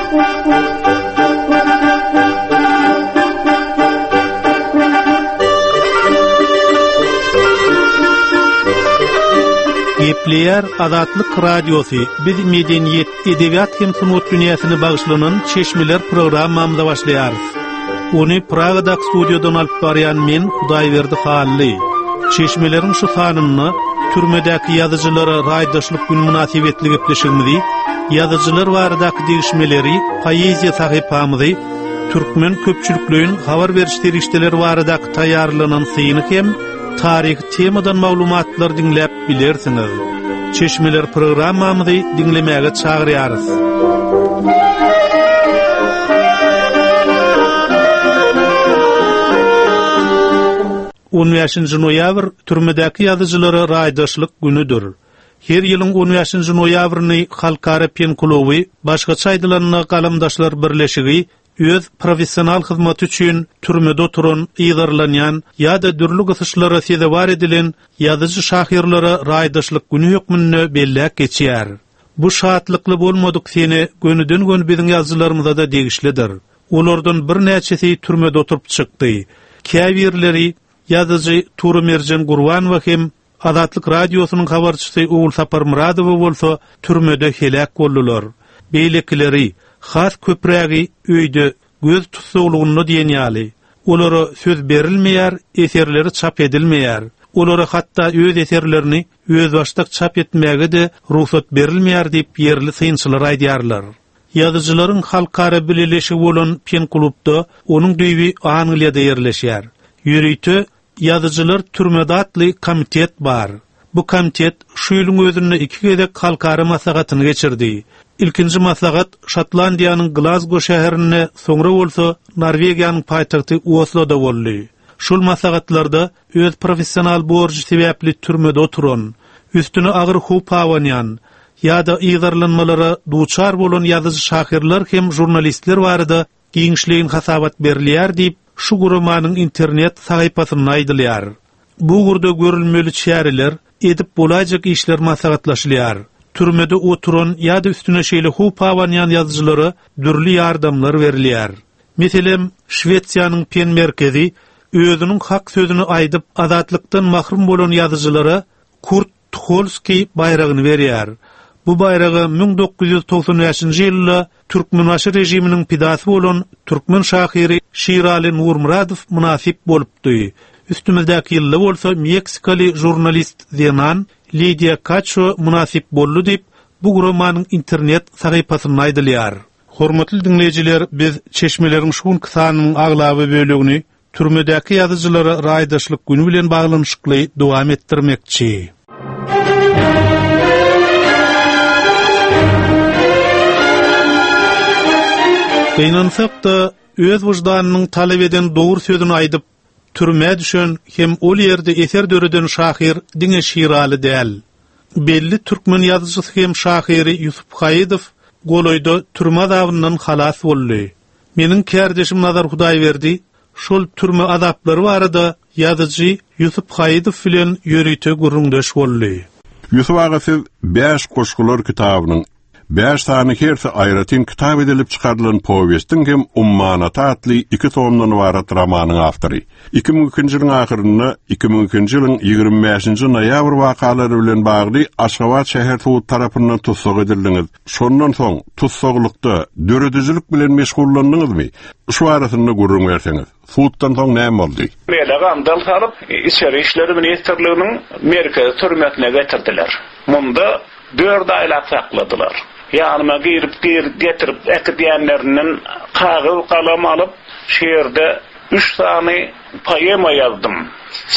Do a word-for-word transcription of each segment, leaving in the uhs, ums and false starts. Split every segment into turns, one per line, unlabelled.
Gepleýär Azatlyk Radiosy. Biz medeniýet, edebiýat hem sungat dünýäsine bagyşlanan çeşmeler programmamyza başlaýarys. Ony Pragadaky studiýadan alyp barýan men Hudaýberdi Hally. Çeşmeleriň şu sanynda türmedäki ýazyjylara raýdaşlyk gün mynasybetli gepleşigimizi, ýazyjylar baradaky degişmeleri, poeziýa sahypamyzy, türkmen köpçülikleýin habar beriş serişdeleri baradaky taýýarlanan syny hem taryhy temadan maglumatlar diňläp bilersiňiz. Çeşmeler programmamyzy diňlemäge çagyrýarys. On bäşinji noýabr türmedäki ýazyjylara raýdaşlyk günüdir. Her ýylyň on bäşinji noýabryny Halkara Pen kluby, başgaça aýdylanda Galamdaşlar birleşigi öz professional hyzmaty üçin türmede oturan, yzarlanýan ýa-da dürli gysyşlara sezewar edilen ýazyjy şahyrlara raýdaşlyk günü hökmünde belläp geçýär. Bu şatlykly bolmadyk sene gönüden-göni biziň ýazyjylarymyza da degişlidir. Olardan birnäçesi türmede oturyp çykdy. Käbirleri ýazyjy Tury Merjen Gurbanowa hem Azatlyk Radiosynyň habarçysy Ogulsapar Muradowa bolsa türmede heläk boldular. Beýlekileri has köprägi öýde göz tussaglygynda diýen ýaly. Olara söz berilmeýär, eserleri çap edilmeýär. Olara hatda öz eserlerini özbaşdak çap etmäge de rugsat berilmeýär diýip ýerli synçylar aýdýarlar. Ýazyjylaryň halkara bileleşigi bolan Pen klubda onuň düýbi Angliýada ýerleşýär. Ýörite ýazyjylar türmede atly komitet bar. Bu komitet şu ýylyň özünde iki gezek halkara maslahatyny geçirdi. Ilkinji maslahat Şotlandiýanyň Glazgo şäherinde, soňra bolsa Norwegiýanyň paýtagty Osloda boldy. Şol maslahatlarda öz professional borjy sebäpli türmede oturan, üstüne agyr howp abanýan ýa-da yzarlanmalara duçar bolan ýazyjy şahyrlar hem jurnalistler barada giňişleýin hasabat berilýär diýip, şu guramanyň internet sahypasynda aýdylýar. Bu ugurda görülmeli çäreler, edip bolaýjak işler maslahatlaşylýar. Türmede oturan ýa-da üstüne şeýle howp abanýan ýazyjylara dürli ýardamlar berilýär. Meselem, Şwesiýanyň Pen merkezi özüniň hak sözüni aýdyp azatlykdan mahrum bolan ýazyjylara Kurt Tuholski baýragyny berýär. Bu baýraga müň dokuz ýüz togsan bäşinji ýylda Türkmenbaşy režiminiň pidasy bolan türkmen şahyry Şirali Nurmuradow mynasyp bolupdy. Üstümizdäki ýylda bolsa Meksikaly jurnalist zenan Lidiýa Kaço mynasyp boldy diýip, bu guramanyň internet sahypasynda aýdylýar. Hormatly diňleýjiler, biz çeşmeleriň şu günki sanynyň aglaba bölegini türmedäki ýazyjylara raýdaşlyk günü bilen baglanyşykly dowam etdirmekçi. Gynansak-da, öz wyždanynyň talap eden dogry sözüni aýdyp, türmä düşen hem ol ýerde eser döreden şahyr diňe Şiraly däl. Belli türkmen ýazyjysy hem şahyry Ýusup Haýydow golaýda türme azabyndan halas boldy. Meniň kärdeşim Nazar Hudaýberdi şol türme azaplary barada ýazyjy Ýusup Haýydow bilen ýörite gürrüňdeş boldy.
Ýusup aga, siz bäş goşgular kitabynyň bäş sany hersi aýratyn kitap edilip çykarylan powestiň hem Ummanata atly iki tomdan ybarat romanyň awtory. Iki müň ikinji ýylyň ahyrynda iki müň ikinji ýylyň ýigrimi bäşinji noýabr wakalary bilen bagly Aşgabat şäher sudy tarapyndan tussag edildiňiz. Şondan soň tussaglykda döredijilik bilen meşgullandyňyzmy? Şu arasynda gürrüň berseňiz. Suddan soň näme boldy?
Mele gandal salyp, İçeri İşleri Ministrliginiň merkezi türmesine getirdiler. Munda dört aýlap sakladylar. Ýanyma girip, girip, getirip äkidýänlerinden kagyz galam alyp, şu ýerde üç sany poema ýazdym.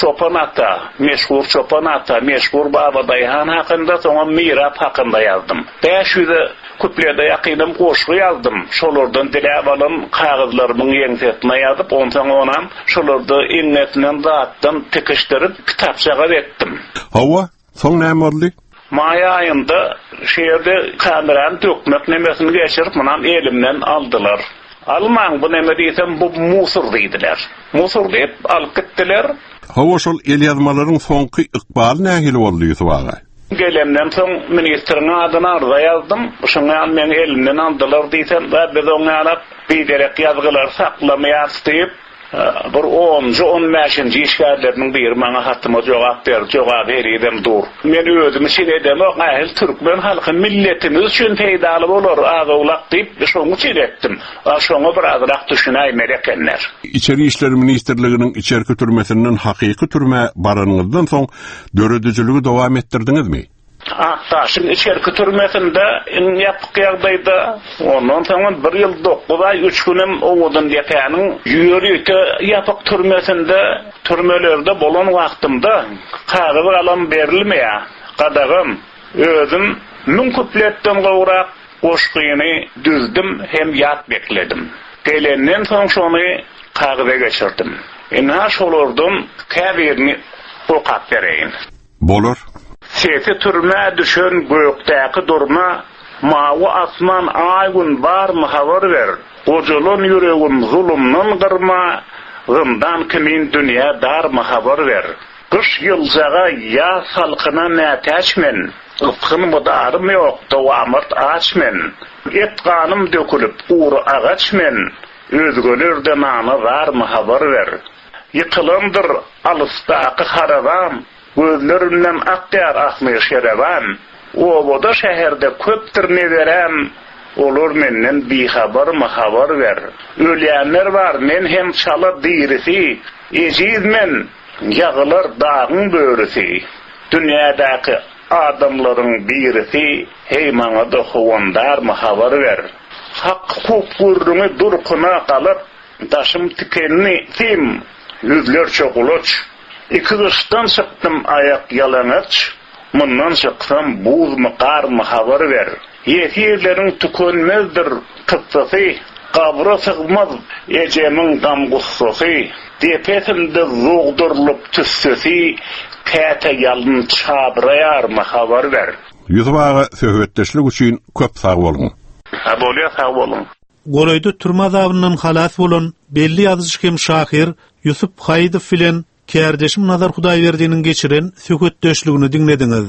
Çopan ata, meşhur Çopan ata, meşhur Baba Daýhan hakynda, soňam Mirap hakynda ýazdym. Bäş ýüze kuplede ýakynam goşgy ýazdym. Şolardan diläp alan kagyzlarymyň ýeňsesine ýazyp, onsoň onam şolarda eňňesinden zatdan tikişdirip kitapçaga etdim.
Hawa, soň näme boldy?
Maý aýynda şu ýerde kamerany dökmek nemesini geçirip, munam elimden aldylar. Almaň bu neme diýsem, bu musur diýdiler. Musur diýip alyp gitdiler.
Hawa, şol el ýazmalaryň soňky ykbaly nähili boldy Ýusup aga?
Gelemden soň ministriň adyna arza ýazdym. Şoňa meni elimden aldylar diýsem, biz oňa biderek ýazgylar saklamaýarys diýip, bir onuncu, on beşinji işgärleriniň biri maňa hatyma jogap berdi, jogap henizem dur. Men özüm üçin edemok, ähli türkmen halky milletimiz üçin peýdaly bolar az-owlak diýip, şonuň üçin etdim. Şoňa birazrak düşünäýmeli ekenler.
İçeri İşler Ministrliginiň içerki türmesinden hakyky türmä baranyňyzdan soň döredijiligi dowam etdirdiňizmi?
Aktaşyň içerki türmesinde iň ýapyk ýagdaýda, ondan soň bir ýyl dokuz aý üç günem Owadan depäniň ýörite ýapyk türmesinde, türmelerde bolan wagtymda kagyz galam berilmeýär. Gadagam özüm müň kupletden gowrak goşgyny düzdüm hem ýat bekledim. Gelenden soň şony kagyza geçirdim. Ina şolardan käbirini okap bereýin.
Bolar.
Sesi türmä düşen gökdäki durna, mawy asman aý gün barmy habar ber. Gojalan ýüregim zulumdan gyrma, zyndan kimin dünýä darmy habar ber. Gyş ýyljaga ýa salkyna mätäç men, ysgyn mydarym ýok, dowamat aç men. Et ganym dökülip gury agaç men, özgelerde nana zarmy habar ber. Ýykylandyr alysdaky harabam, gözlerimden akýar ahmy şereban. Obada şäherde köpdür neberem, olar menden bihabarmy habar ber. Ölýänler bar, men hem çala dirisi, ejiz men, ýagylar dagyň börüsi. Dünýädäki adamlaryň birisi, hey maňa da howandarmy habar ber. Hak hukuk gürrüňi durkuna galyp, daşym tikenli sim, ýüzlerçe gulaç. Iki gyşdan çykdym aýak ýalaňaç, mundan çyksam buzmy garmy habar ber. Ýesirleriň tükenmezdir kyssasy, gabra sygmaz ejemiň gam gussasy, depesinde zogdurylyp tüssesi, käte ýalyn çabraýarmy habar ber.
Ýusuf aga söhbetdeşlik üçin köp sag boluň.
Ha bolýar, sag boluň.
Golaýda türme azabyndan halas bolan belli ýazyjy hem şahyr Ýusuf Haýydow bilen kärdeşim Nazar Hudaýberdiniň geçiren söhbetdeşligini diňlediňiz.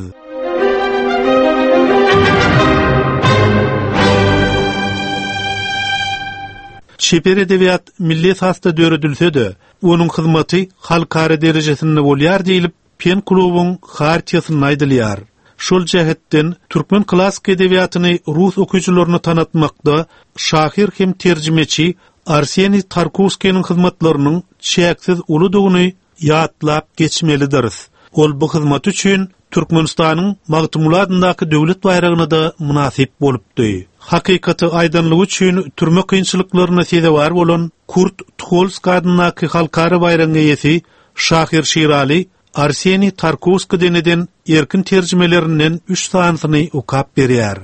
Çeper edebiýat milli esasda döredilse-de, onuň hyzmaty halkara derejesinde bolýar diýilip, Pen klubuň hartiýasynda aýdylýar. Şol jähetden türkmen klassyk edebiýatyny rus okyjylaryna tanatmakda şahyr hem terjimeçi Arseniý Tarkowskiniň hyzmatlarynyň çäksiz uludygyny ýatlap geçmelidiris. Ol bu hyzmat üçin Türkmenistanyň Magtymguly adyndaky döwlet baýragyna da mynasyp bolupdy. Hakykaty aýdanlygy üçin türme kynçylyklaryna sezewar bolan Kurt Tuholsk adyndaky halkara baýragyň eýesi şahyr Şirali Arseniý Tarkowskiden eden erkin terjimelerinden üç sanysyny okap berýär.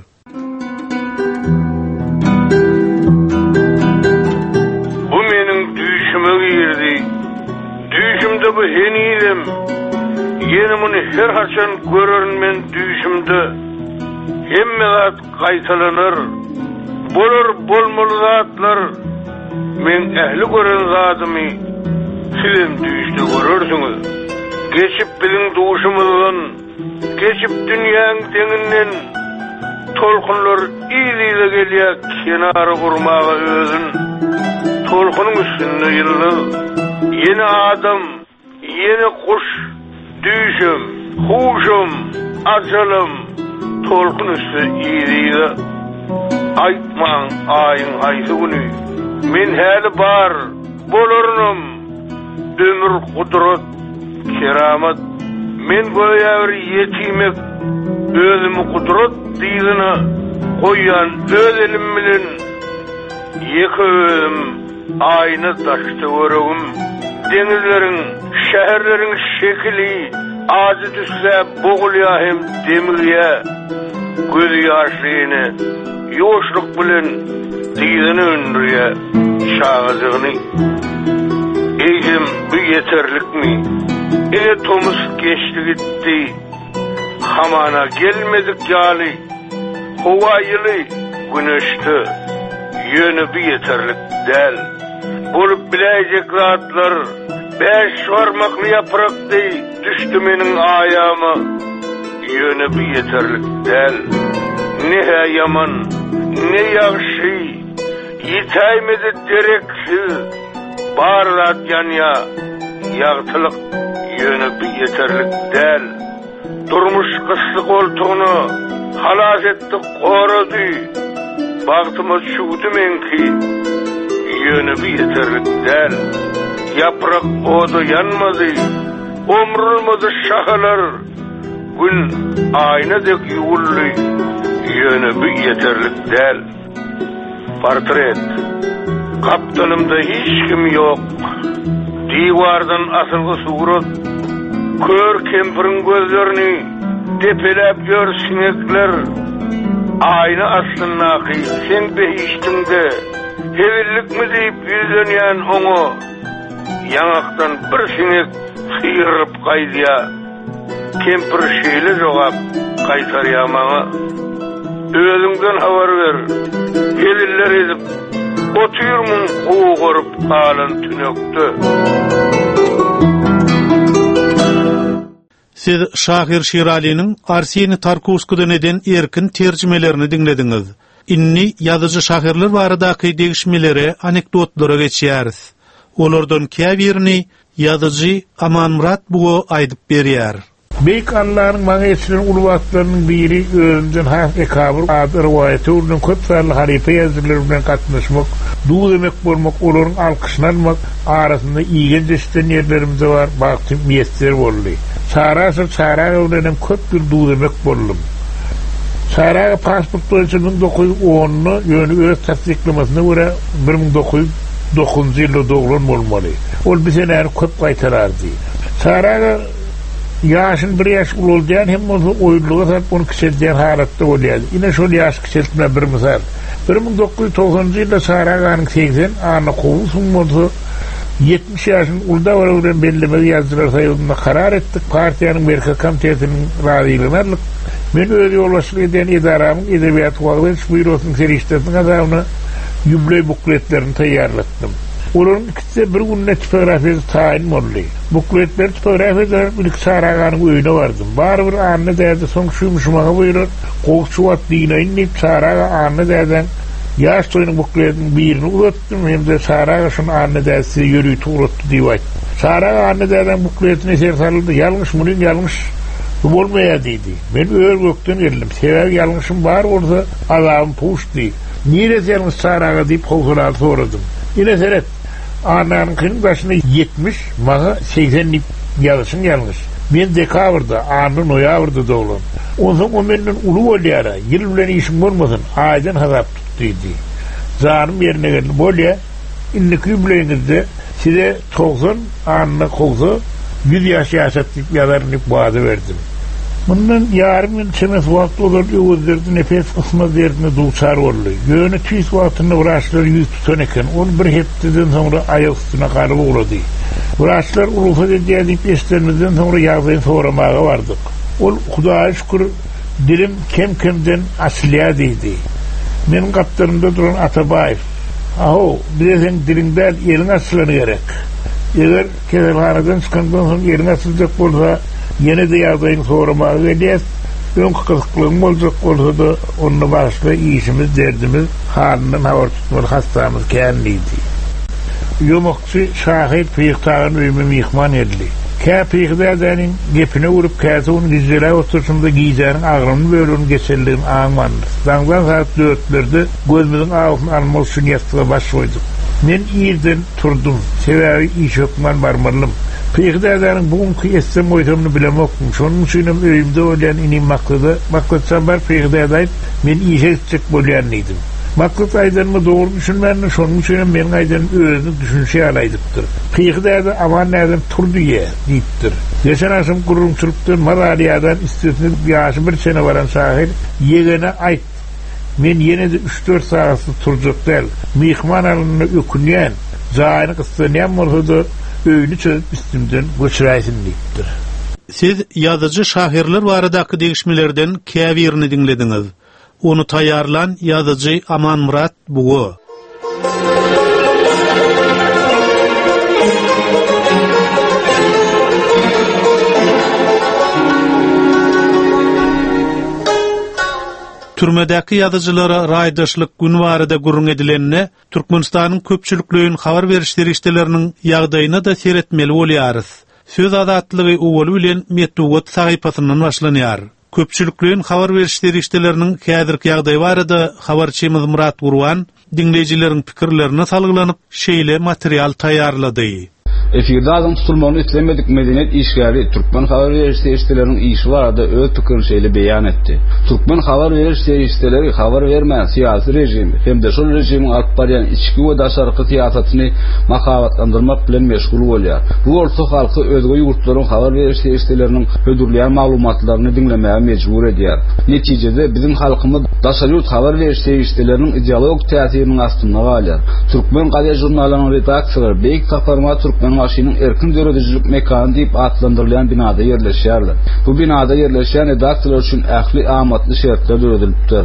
Bu meniň düýşüme girdi. Düýşümde bu henizem. Ýene muny her haçan görerin men düýşümde. Hemme zat gaýtalanar. Bolar bolmaly zatlar. Men ähli gören zadymy sizem düýşde görersiňiz. Geçip biziň duşumyzdan, geçip dünýäň deňinden tolkunlar yz-yza gelýär kenara urmaga özün. Tolkunyň üstünde ýyldyz, ýene adam, ýene guş, düýşüm, huşum, ajalym, tolkun üstü yz-yza. Aýtmaň aýyň haýsy güni, men häli bar, bolarynam, ömür gudrat, keramat. Men göýä bir ýetimek, özümi gudrat dyzyna goýýan öz elim bilen, ýeke özüm aýna daş töweregim, deňizleriň, şäherleriň şekili ajy düşse bogulýar hem demigýär. Gözi ýaşly ene ýuwaşlyk bilen dyzyna öndürýär çagajygyny. Eýsem bu ýeterlikmi? Ine tomus geçdi gitdi. Hamana gelmedik ýaly. Howa ýyly güneşde. Ýöne bu ýeterlik däl. Bolup biläýjek zatlar beş barmakly ýaprak deý düşdi meniň aýama. Ýöne bu ýeterlik däl. Ne-hä ýaman, ne ýagşy, Ýitäýmedi dereksiz. Bar zat ýanýa, ýagtylyk, Ýöne bu ýeterlik däl. Durmuş gysdy goltugyna, Halas etdi, gorady. Bagtyma çüwdi meňki, Ýöne bu ýeterlik däl. Ýaprak oda ýanmady, Omrulmady şahalar. Gün aýna dek ýuwuldy, Ýöne bu ýeterlik däl. Portret. Gapdalymda hiç kim ýok. Diwardan asylgy surat. Kör kempiriň gözlerini depeläp ýör siňekler. Aýna astyndaky seň behişdiňde hezillikmi diýip ýüzlenýän oňa ýaňakdan bir siňek syrylyp gaýdýar. Kempir şeýle jogap gaýtarýar maňa, Özüňden habar ber, heziller edip, otyrmyň gugaryp galan tünekde?
Siz şahyr Şiralynyň Arseniý Tarkowskiden eden erkin terjimelerini diňlediňiz. Indi ýazyjy-şahyrlar baradaky degişmelere, anekdotlara geçýäris. Olardan käbirini ýazyjy Amanmyrat Buga aýdyp berýär.
Beýik Allanyň maňa eçilen uly bagtlarynyň biri özümden has ekabyr ady rowaýata öwrülen köp sanly halypa ýazyjylar bilen gatnaşmak, duz-emek bolmak, olaryň alkyşyny almak, arasynda igenç eşiden ýerlerim-de bar, bagtym miýesser boldy. Çary Aşyr Çary aga bilen hem köp ýyl duz-emek boldum. Çary aga pasport boýunça müň dokuz ýüz onda, ýöne öz tassyklamasyna görä bir müň dokuz ýüz dokuzynjy ýylda doglan bolmaly. Ol bu senäni köp gaýtalardy. Çary aga ýaşyny bir ýaş ulaldýan hem bolsa, oýunlyga salyp ony kiçeldýän halatda bolýardy. Ine şol ýaş kiçeltmä bir mysal. Bir müň dokuz ýüz togsanynjy ýylda Çary aganyň segsen, Anna Kowusowyň bolsa ýetmiş ýaşyny uly dabara bilen bellemegi Ýazyjylar soýuzynda karar etdik, partiýanyň Merkezi Komitetiniň razylygyny aldyk. Men öz ýolbaşçylyk edýän edaramyň Edebiýaty wagyz ediş býurosynyň serişdesiniň hasabyna ýubileý bukletlerini taýýarlatdym. Olaryň ikisi-de bir günde tipografiýada taýyn boldy. Bukletleri tipografiýada alyp, ilki Çary aganyň öýüne bardym. Barybir Anna däde soň şu ýumşy maňa buýrar, gowy şu wagt dynaýyn diýip, Çary aga Anna dädäň ýaş toýunyň bukletiniň birini uzatdym hem-de Çary aga şuny Anna däde size ýörite ugratdy diýip aýtdym. Çary aga Anna dädäň bukletine ser saldy-da, Ýalňyş, munyň ýalňyş, bu bolmaýar diýdi. Men ör-gökden geldim. Sebäbi ýalňyşym bar bolsa, azabym puçdy. Niresi ýalňyş Çary aga diýip howsalaly soradym. Ine seret, Annanyňkynyň daşyna ýetmiş, maňa segsen diýip ýazyşyň ýalňyş. Men dekabrda, Anna noýabrda doglan. Onsoň o menden uly bolýar-a, ýyl bilen işiň bolmasyn, aýdan hasap tut diýdi. Janym ýerine geldi, bolýa, indiki ýubileýiňizde size togsan, Anna kowsa, ýüz ýaş ýaşat diýip ýazaryn diýip wada berdim. Mundan ýarym ýyl çemesi wagt ozal Öwezberdi Nepes ysmaz derdine duçar boldy. Ýöne tüýs wagtynda wraçlar ýüz tutan eken. Ol bir hepdeden soňra aýak üstüne galyp ugrady. Wraçlar rugsat edýär diýip eşidenimizden soňra ýagdaýyny soramaga bardyk. Ol, Hudaýa şükür, dilim kem-kemden açylýar diýdi. Meniň gapdalymda duran Atabaýew, A-how, bize seň diliň däl, eliň açylany gerek. Eger keselhanadan çykandan soň eliň açyljak bolsa, ýene-de ýagdaýyňy soramaga gelýäs. Öňki gyzyklygyň boljak bolsa-da, onda bagyşla, işimiz, derdimiz, halyndan habar tutmaly hassamyz kän diýdi. Ýomakçy şahyr Pyhy Tagan öýüme myhman geldi. Kä Pyhy dädäniň gepine urup, käte ony gijeläp oturyşymyzda gijäniň agramly böleginiň geçenligini aňmandyrys. Daňdan sagat dörtlerde gözümiziň awusyny almak üçin ýassyga baş goýduk. Men irden turdum. Sebäbi işe hökman barmalydym. Pyhy dädäniň bu günki etsem-goýsamyny bilemokdym. Şonuň üçinem öýümde bolýan inim Maksada, Maksat jan bar Pyhy dädä aýt, men işe gitjek bolýan diýdim. Maksat aýdanyma dogry düşünmändir, şonuň üçinem meniň aýdanymy özüniň düşünişi ýaly aýdypdyr. Pyhy däde Aman dädem tur diýýä, diýipdir. Geçen agşam gürrüňçilikden mazaly ýadan, üstesine ýaşy bir çene baran şahyr ýegene aýt, men ýene-de üç-dört sagatsyz turjak däl, myhman alanyna ökünýän, jaýyny gyssanýan bolsa-da, öýüni çözüp üstümden göçüräýsin diýipdir.
Siz ýazyjy-şahyrlar baradaky degişmelerden käbirini diňlediňiz. Ony taýýarlan ýazyjy Amanmyrat Buga. Türmedäki ýazyjylara raýdaşlyk günü barada gürrüň edilende, Türkmenistanyň köpçülikleýin habar beriş serişdeleriniň ýagdaýyna da seretmeli bolýarys. Söz azatlygy owaly bilen metbugat sahypasyndan başlanýar. Köpçülikleýin habar beriş serişdeleriniň häzirki ýagdaýy barada habarçymyz Murat Gurban diňleýjileriň pikirlerine salgylanyp şeýle material taýýarlady.
Efirde adyň tutulmagyny islemedik medeniýet işgäri Türkmen habar beriş serişdeleriniň işi barada öz pikirini şeýle beýan etdi. Türkmen habar beriş serişdeleri habar bermän syýasy rejimi hem-de şol rejimiň alyp barýan içki we daşarky syýasatyny mahabatlandyrmak bilen meşgul bolýar. Bu bolsa halky özge ýurtlaryň habar beriş serişdeleriniň hödürleýän maglumatlaryny diňlemäge mejbur edýär. Netijede biziň halkymyz daşary ýurt habar beriş serişdeleriniň ideologik täsiriniň astynda galýar. Türkmen gazet žurnallarynyň redaksiýalary Beýik Saparmyrat Türkmenbaşynyň erkin döredijilik mekany diýip atlandyrylýan binada ýerleşýärler. Bu binada ýerleşýän redaksiýalar üçin ähli amatly şertler döredilipdir.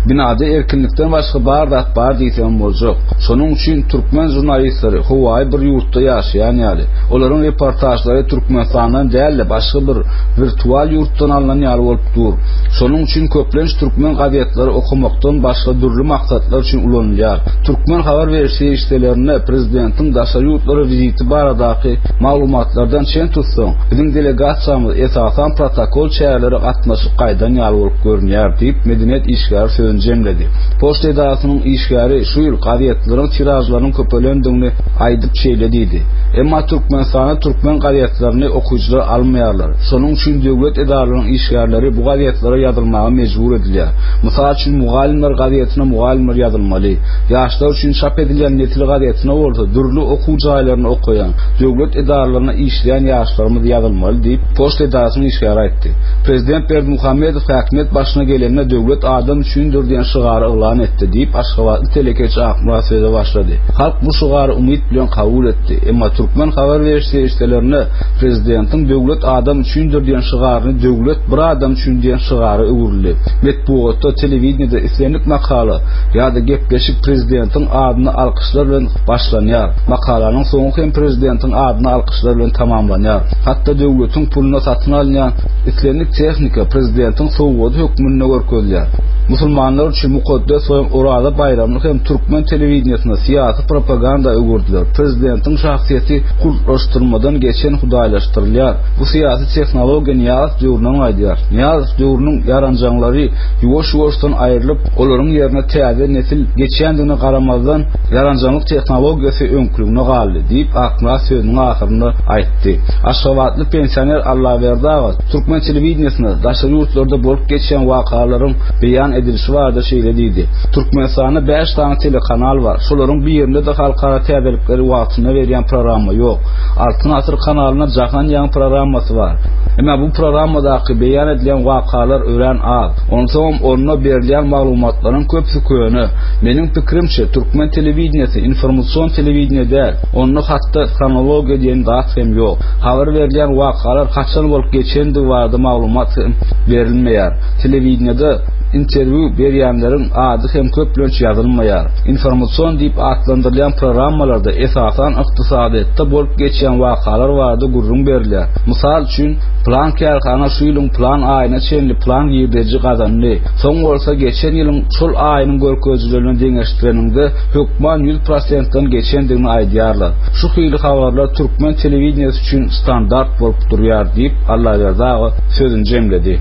Binada erkinlikden başga bar zat bar diýsem boljak. Şonuň üçin türkmen žurnalistleri howaýy bir ýurtda ýaşaýan ýaly, olaryň reportažlary Türkmenistandan däl-de başga bir wirtual ýurtdan alnan ýaly bolup dur. Şonuň üçin köplenç türkmen gazetleri okumakdan başga dürli maksatlar üçin ulanylýar. Türkmen habar beriş serişdelerinde prezidentiň daşary ýurtlara viziti baradaky maglumatlardan çen tutsaň, biziň delegasiýamyz esasan protokol çäreleri gatnaşyp gaýdan ýaly bolup görünýär diýip medeniýet işgäri sözüni jemledi. Poçta edarasynyň işgäri şu ýyl gazetleriň tiražlarynyň köpelendigini aýdyp şeýle diýdi. Emma Türkmenistanda türkmen gazetlerini okyjylar almaýarlar. Şonuň üçin döwlet edaralarynyň işgärleri bu gazetlere ýazylmaga mejbur edilýär. Mysal üçin Mugallymlar gazetine mugallymlar ýazylmaly. Ýaşlar üçin çap edilýän Nesil gazetine bolsa dürli okuw jaýlaryny okaýan, döwlet edaralarynda işleýän ýaşlarymyz ýazylmaly diýip, poçta edarasynyň işgäri aýtdy. Prezident Berdimuhamedow häkimiýet başyna gelende döwlet adam üçindir diýen şygary yglan etdi diýip, Aşgabatly telekeçi Akmyrat söze başlady. Halk bu şygary umyt bilen kabul etdi. Emma türkmen habar beriş serişdelerinde prezidentiň döwlet adam üçindir diýen şygaryny döwlet bir adam üçin diýen şygara öwrüldi. Metbugatda, telewideniýede islendik makala ýa-da gepleşik prezidentiň adyna alkyşlar bilen başlanýar. Makalanyň soňy hem prezidentiň adyna alkyşlar bilen tamamlanýar. Hatda döwletiň puluna satyn alynýan islendik tehnika prezidentiň sowgady hökmünde görkezilýär. Musulmanlar üçin mukaddes bolan Oraza baýramyny hem türkmen telewideniýesinde syýasy propaganda öwürdiler. Prezidentiň şahsyýeti kultlaşdyrmadan geçen hudaýlaşdyrylýar. Bu syýasy tehnologiýa Nyýazow döwründen gaýdýar. Nyýazow döwrüniň ýaranjaňlary ýuwaş-ýuwaşdan aýrylyp, olaryň ýerine täze nesil geçýändigine garamazdan, ýaranjaňlyk tehnologiýasy öňküligine galdy diýip, Akmyrat sözüniň ahyrynda aýtdy. Aşgabatly pensioner Allaberdi aga türkmen telewideniýesinde daşary ýurtlarda bolup geçýän wakalaryň beýan edilişi barada şeýle diýdi. Türkmenistanda bäş sany telekanal bar. Şolaryň birinde-de halkara täzelikleri wagtynda berýän programma ýok. Altyn Asyr kanalynda Jahan ýaň programmasy bar. Emma bu programmadaky beýan edilýän wakalar örän az. Onsoňam onda berilýän maglumatlaryň köpüsi köne. Meniň pikirimçe, türkmen telewideniýesi informasion telewideniýe däl. Onda hatda hronologiýa diýen zat hem ýok. Habar berilýän wakalar haçan bolup geçendigi barada maglumat hem berilmeýär. Telewideniýede interwýu berýänleriň ady hem köplenç ýazylmaýar. Informasion diýip atlandyrylýan programmalarda esasan ykdysadyýetde bolup geçýän wakalar barada gürrüň berilýär. Mysal üçin, plan kärhana şu ýylyň plan aýyna çenli plan girdeji gazandy. Soň bolsa geçen ýylyň şol aýynyň görkezijilerine deňeşdireniňde hökman ýüz prosentden geçendigini aýdýarlar. Şu hili habarlar türkmen telewideniýesi üçin standart bolup durýar diýip, Allaberdi aga sözüni jemledi.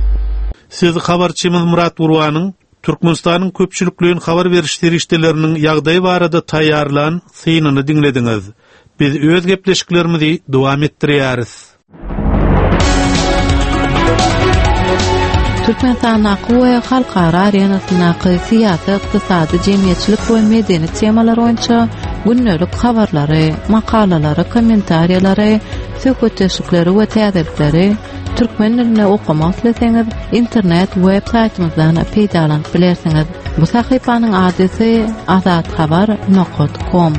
Siz habarçymyz Murat Gurbanyň Türkmenistanyň köpçülikleýin habar beriş serişdeleriniň ýagdaýy barada taýýarlan synyny diňlediňiz. Biz öz gepleşiklerimizi dowam etdirýäris.
Türkmenistandaky we halkara arenasyndaky syýasy, ykdysady, jemgyýetçilik we medeni temalar boýunça gündelik habarlary, makalalary, kommentariýalary, söhbetdeşlikleri we täzelikleri türkmen dilinde okamak isleseňiz, internet web saýtymyzdan peýdalanyp bilersiňiz. Bu sahypanyň adresi azathabar nokta com.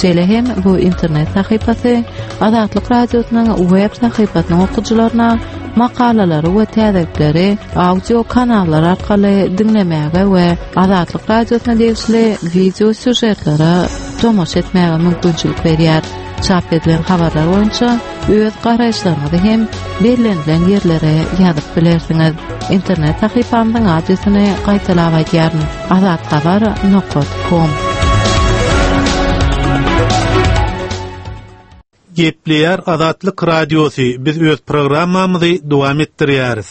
Şeýle hem bu internet sahypasy Azatlyk Radiosynyň web sahypasynyň okyjylaryna makalalary we täzelikleri audio kanallar arkaly diňlemäge we Azatlyk Radiosyna degişli video sýužetlere tomaşa etmäge mümkinçilik berýär. Çap edilen habarlar boýunça Öz garaýyşlaryňyzy hem bellenilen ýerlere ýazyp bilersiňiz. Internet sahypamyzyň adresini gaýtalap aýdýaryn: azathabar nokta com.
Gepleýär Azatlyk Radiosy. Biz öz programmamyzy dowam etdirýäris.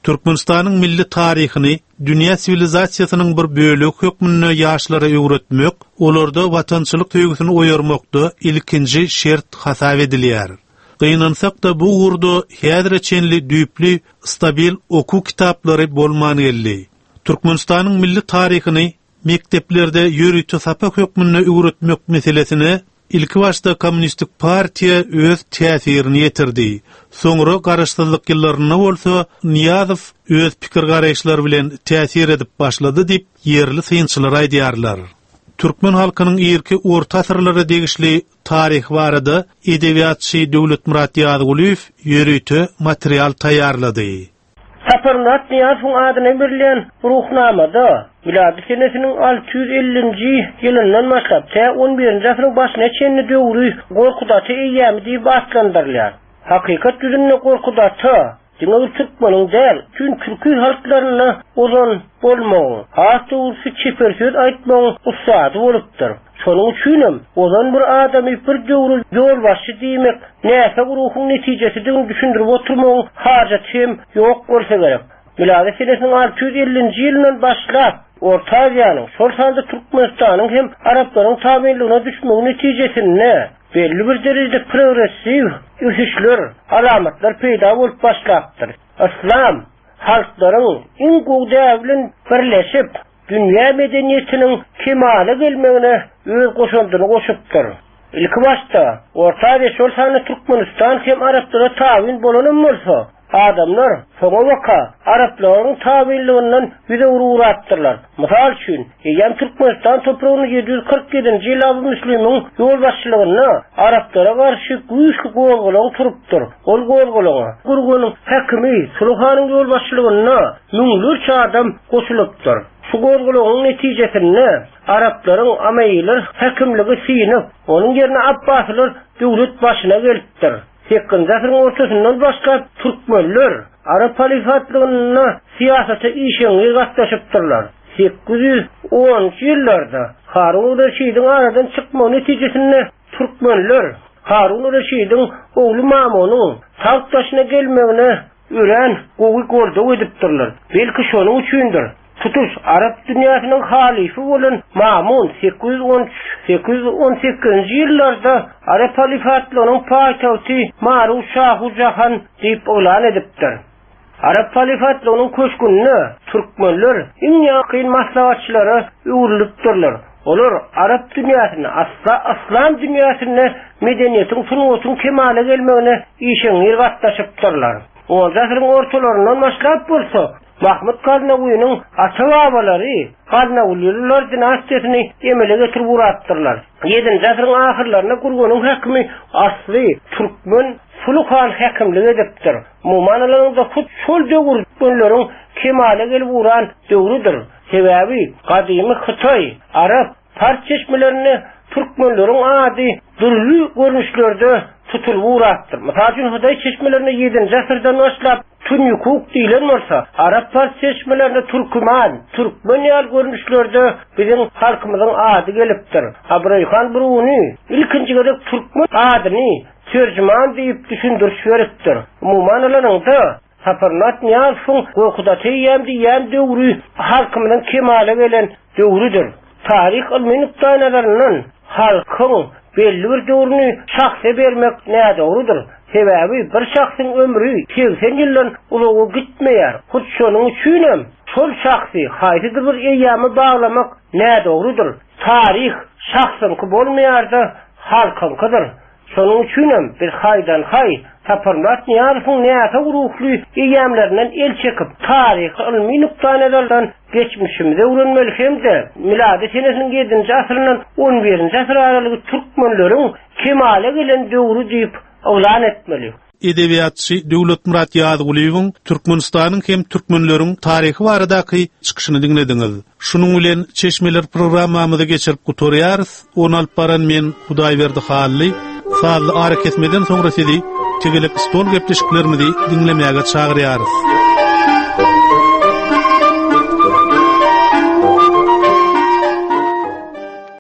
Türkmenistanyň milli taryhyny dünýä siwilizasiýasynyň bir bölegi hökmünde ýaşlara öwretmek, olarda watançylyk söýgüsini oýarmakda ilkinji şert hasap edilýär. Gynansak da bu ugurda häzire çenli düýpli stabil okuw kitaplary bolman geldi. Türkmenistanyň milli taryhyny mekdeplerde ýörite sapak hökmünde öwretmek meselesine ilki başda Kommunistik partiýa öz täsirini ýetirdi. Soňra garaşsyzlyk ýyllarynda bolsa Niýazow öz pikir garaýyşlary bilen täsir edip başlady diýip ýerli synçylar aýdýarlar. Türkmen halkynyň irki orta asyrlara degişli taryh barada edebiýatçy Döwletmyrat Ýazgulyýew ýörite material taýýarlady.
Saparmyrat Niýazowyň adyna berilen ruhnamada milady senesiniň alty ýüz ellinji ýylyndan başlap tä on birinji asyryň başyna çenli döwri Gorkut Ata eýýämi diýip atlandyrylýar. Hakykat ýüzünde Gorkut Ata diňe bir türkmeniň däl, tüm türki halklaryna ozan bolmagyň, has dogrusu çeper söz aýtmagyň ussady bolupdyr. Şonuň üçinem ozan bir adamy bir döwri ýolbaşçy diýmek näsag ruhuň netijesidigini düşündirip oturmagyň hajaty hem ýok bolsa gerek. Milady senesiniň alty ýüz ellinji ýylyndan başlap Orta Aziýanyň, şol sanda Türkmenistanyň hem Araplaryň tabinligine düşmegi netijesinde belli bir derejede progressiw ösüşler, alamatlar peýda bolup başlapdyr. Islam halklaryň iň gowy däbi bilen birleşip, dünýä medeniýetiniň kemala gelmegine öz goşandyny goşupdyr. Ilki başda Orta Aziýa, şol sanda Türkmenistan hem Araplara tabin bolanam bolsa, adamlar soňa baka Araplaryň tabinliginden ýüz öwrüpdirler. Mysal üçin, eýýäm Türkmenistan topragyny ýedi ýüz kyrk ýedinji ýyl Abu Müslimiň ýolbaşçylygynda Araplara garşy güýçli gozgalaň turupdyr. Ol gozgalaňa Gurgunyň häkimi Suluhanyň ýolbaşçylygynda müňlerçe adam goşulypdyr. Şu gozgalaňyň netijesinde Araplaryň Ameýiler häkimligi synyp, onuň ýerine Abbasylar döwlet başyna gelipdir. Sekizinji asyryň ortasyndan başlap Türkmenler Arap halifatlygynda syýasata işeňňir gatnaşypdyrlar. Sekiz ýüz onunjy ýyllarda Harun Reşidiň aradan çykmagy netijesinde Türkmenler Harun Reşidiň ogly Mamunyň tagt başyna gelmegine örän gowy goldaw edipdirler. Belki şonuň üçindir. Tutuş Arap dünýäsiniň halifi bolan Mamun sekiz ýüz on üç, sekiz ýüz on sekizinji ýyllarda Arap halifatlygynyň paýtagty Maru Şahu Jahan diýip yglan edipdir. Arap halifatlygynyň köşgünde türkmenler iň ýakyn maslahatçylara öwrülipdirler. Olar Arap dünýäsinde, asla Islam dünýäsinde medeniýetiň, sungatyň kemala gelmegine işeňňir gatnaşypdyrlar. Onuncu asyryň ortalaryndan başlap bolsa, Mahmud Gaznawynyň ata-babalary Gaznawylylar dinastiýasyny emele getirip ugrapdyrlar. Ýedinji asyryň ahyrlarynda Gurgunyň häkimi asly türkmen Suluhan häkimlik edipdir. Umuman alanyňda hut şol döwür türkmenleriň kemala gelip ugran döwrüdir. Sebäbi gadymy Hytaý, Arap, Pars çeşmelerinde türkmenleriň ady dürli görnüşlerde tutulyp ugrapdyr. Mysal üçin Hytaý çeşmelerinde ýedinji asyrdan başlap Tünyukuk diýilen bolsa, Arap Pars çeşmelerinde Türküman, Türkmen ýaly görnüşlerde biziň halkymyzyň ady gelipdir. Abraýhan Bruni ilkinji gezek Türkmen adyny terjüman diýip düşündiriş beripdir. Umuman alanyňda Saparmyrat Niýazowyň Gorkut Ata eýýäm diýýän döwri halkymyzyň kemala gelen döwrüdir. Taryh ylmy nukdaýnazaryndan halkyň belli bir döwrüni şahsa bermek nädogrudyr. Sebäbi bir şahsyň ömrü seksen ýyldan uzaga gitmeýär. Hut şonuň üçinem şol şahsy haýsydyr bir eýýäme baglamak nädogrudyr. Taryh şahsyňky bolmaýar-da halkyňkydyr. Şonuň üçinem biz haýdan haý Saparmyrat Niýazowyň näsag ruhly eýýämlerinden el çekip, taryhy ylmy nukdaýnazardan geçmişimizi öwrenmeli hem-de milady senesiniň ýedinji asyryndan on birinji asyr aralygy türkmenleriň kemala gelen döwri diýip yglan etmeli.
Edebiýatçy Döwletmyrat Ýazgulyýewiň Türkmenistanyň hem türkmenleriň taryhy baradaky çykyşyny diňlediňiz. Şunuň bilen Çeşmeler programmamyzy geçirip gutarýarys. Ony alyp baran men Hudaýberdi Hally. Sazly ara kesmeden soňra sizi tegelek stol gepleşiklerimizi diňlemäge çagyrýarys.